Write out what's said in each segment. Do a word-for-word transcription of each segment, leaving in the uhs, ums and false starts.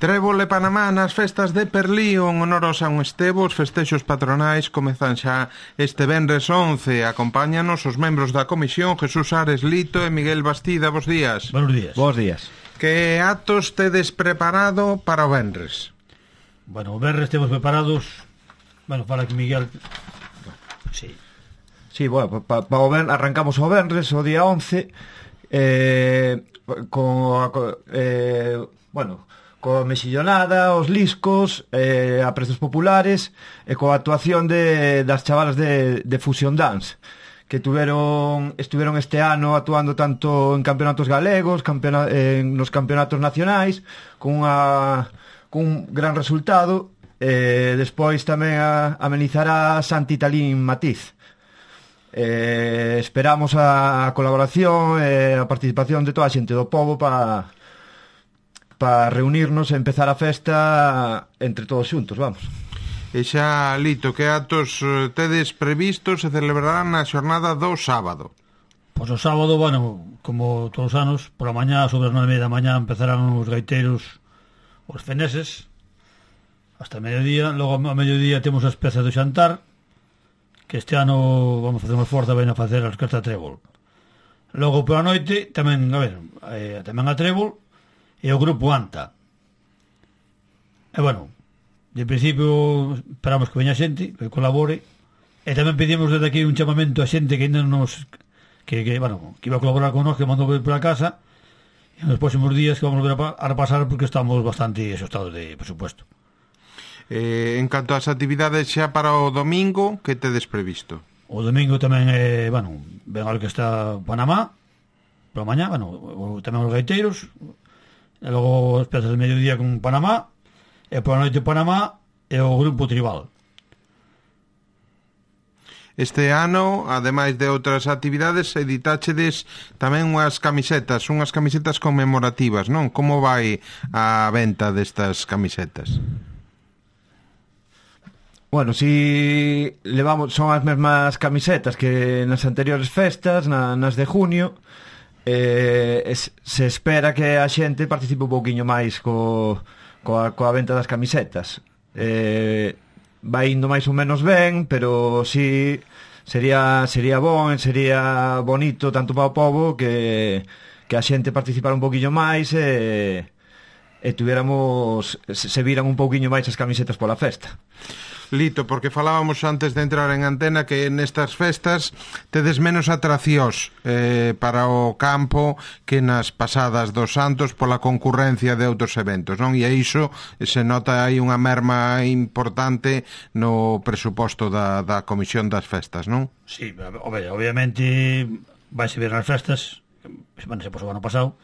Trébol e Panamá nas festas de Perlío en honor ao San Estevo. Os festexos patronais comezan xa este venres once. Acompáñanos os membros da comisión Jesús Ares Lito e Miguel Bastida. Bos días. Buenos días. Bos días. Que actos tedes preparado para o venres? Bueno, o venres temos preparados. Bueno, para que Miguel... Sí. Sí, bueno, pa, pa o ben, arrancamos o venres o día once eh, con eh, bueno, coa mexillonada, os liscos, eh, a prezos populares e coa actuación de, das chavalas de, de Fusion Dance, que tuveron, estuveron este ano actuando tanto en campeonatos galegos, campeona, en nos campeonatos nacionais, con, unha, con un gran resultado. Eh, despois tamén a, amenizará Santi Talín Matiz. Eh, esperamos a, a colaboración e a participación de toda a xente do pobo para para reunirnos e empezar a festa entre todos xuntos, vamos. E xa, Lito, que actos tedes previstos se celebrarán na xornada do sábado? Pois o sábado, bueno, como todos os anos, por a mañá, sobre as nove da mañá, empezarán os gaiteiros, os feneses, hasta mediodía. Logo a mediodía temos as pezas do xantar, que este ano vamos a facer unha forza, ven a facer a orquesta Trébol. Logo por a noite tamén, a ver, eh, tamén a Trébol e o grupo Anta. E bueno, de principio esperamos que veña xente, que colabore, e tamén pedimos desde aquí un chamamento a xente que ainda nos que, que bueno, que iba a colaborar con nós, que mandou ver por a casa, e nos próximos días que vamos a ver a repasar porque estamos bastante asustados de presupuesto. Eh, en canto ás actividades xa para o domingo, que tedes previsto? O domingo tamén é, bueno, ven a orquesta Panamá, por a mañá, bueno, o, tamén os gaiteiros, e logo as pezas de mediodía con Panamá, e por a noite Panamá e o grupo tribal. Este ano, ademais de outras actividades, editáchedes tamén unhas camisetas, unhas camisetas conmemorativas, non? Como vai a venta destas camisetas? Bueno, si levamos, son as mesmas camisetas que nas anteriores festas, na, nas de junio. Eh, es, se espera que a xente participe un pouquiño máis co, coa, coa venta das camisetas. Eh, vai indo máis ou menos ben, pero si sería sería bon, sería bonito tanto para o pobo que, que a xente participara un pouquiño máis e, e tuviéramos, se, se viran un pouquiño máis as camisetas pola festa. Lito, porque falábamos antes de entrar en antena que nestas festas tedes menos atraccións eh, para o campo que nas pasadas dos Santos pola concurrencia de outros eventos, non? E iso se nota aí unha merma importante no presuposto da, da comisión das festas, non? Sí, obviamente vais ver nas festas, bueno, se posou o ano pasado,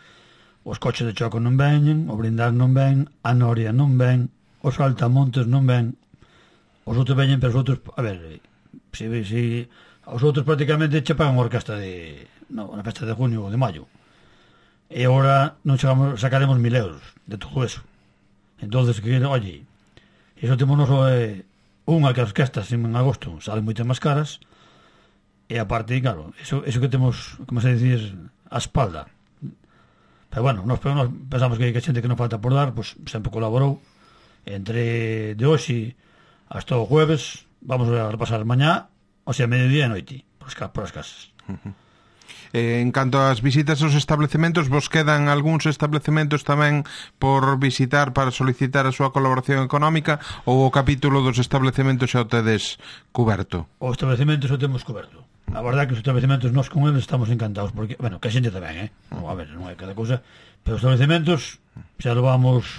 os coches de choco non veñen, o blindar non ven, a noria non ven, os saltamontes non ven. Os outros veñen, pero os outros, a ver, si, si os outros prácticamente che pagan a orquesta de, no, na festa de junio ou de maio. E agora non chegamos, sacaremos mil euros de todo eso. Entonces, que, oye, iso temos noso, eh, unha que as orquestas en agosto salen moito máis caras, e aparte, claro, eso, eso que temos, como se decir, a espalda. Pero bueno, nos, nos pensamos que, que a xente que non falta por dar, pues sempre colaborou. Entre de hoxe hasta o jueves vamos a repasar mañá, o sea, mediodía e noite por as, por as casas. Uh-huh. eh, En canto ás visitas aos establecementos, vos quedan algúns establecementos tamén por visitar para solicitar a súa colaboración económica, ou o capítulo dos establecementos xa o tedes cuberto? O establecemento xa o temos cuberto. A verdade que os establecementos nós con eles estamos encantados, porque, bueno, que a xente tamén, eh? No, a ver, non é cada cousa, pero os establecementos xa levamos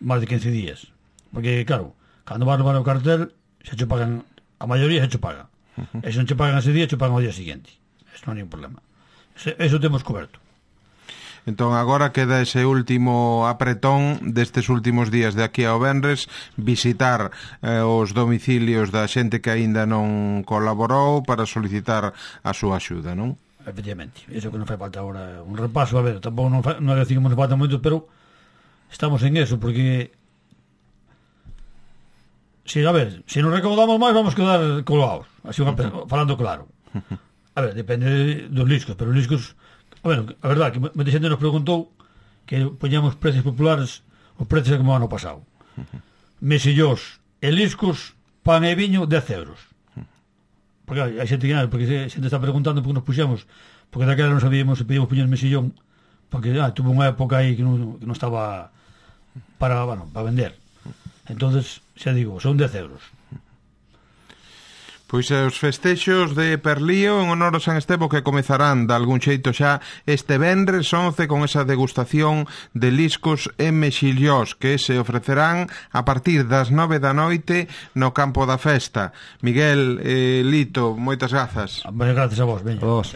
máis de quince días, porque, claro, cando vas levar o cartel, xa che pagan, a maioría xa che paga. Uh-huh. E se non che pagan ese día, che pagan o día seguinte. Eso non é un problema. Eso, eso temos coberto. Entón agora queda ese último apretón destes últimos días de aquí ao venres, visitar eh, os domicilios da xente que aínda non colaborou para solicitar a súa axuda, non? Efectivamente, iso que non fai falta agora un repaso, a ver, tampouco non, fa, non decimos que nos falta moito, pero estamos en eso, porque si, a ver, se nos recaudamos máis vamos quedar colgados, así uh-huh. falando claro. A ver, depende dos liscos, pero os liscos, a ver, a verdade que moita xente nos preguntou que poñamos precios populares o precio é como ano pasado. Mesillós e liscos, pan e viño, dez euros. Porque hai xente que porque a xente está preguntando porque nos puxemos, porque daquela non sabíamos se pedíamos puñer mesillón, porque ah, tuvo unha época aí que non, que non estaba para, bueno, para vender. Entonces, xa digo, son dez euros. Pois os festexos de Perlío en honor ao San Estevo que comezarán de algún xeito xa este venres once con esa degustación de liscos e mexillós que se ofrecerán a partir das nove da noite no campo da festa. Miguel, eh, Lito, moitas grazas. Moitas grazas a vos, veña. Vos.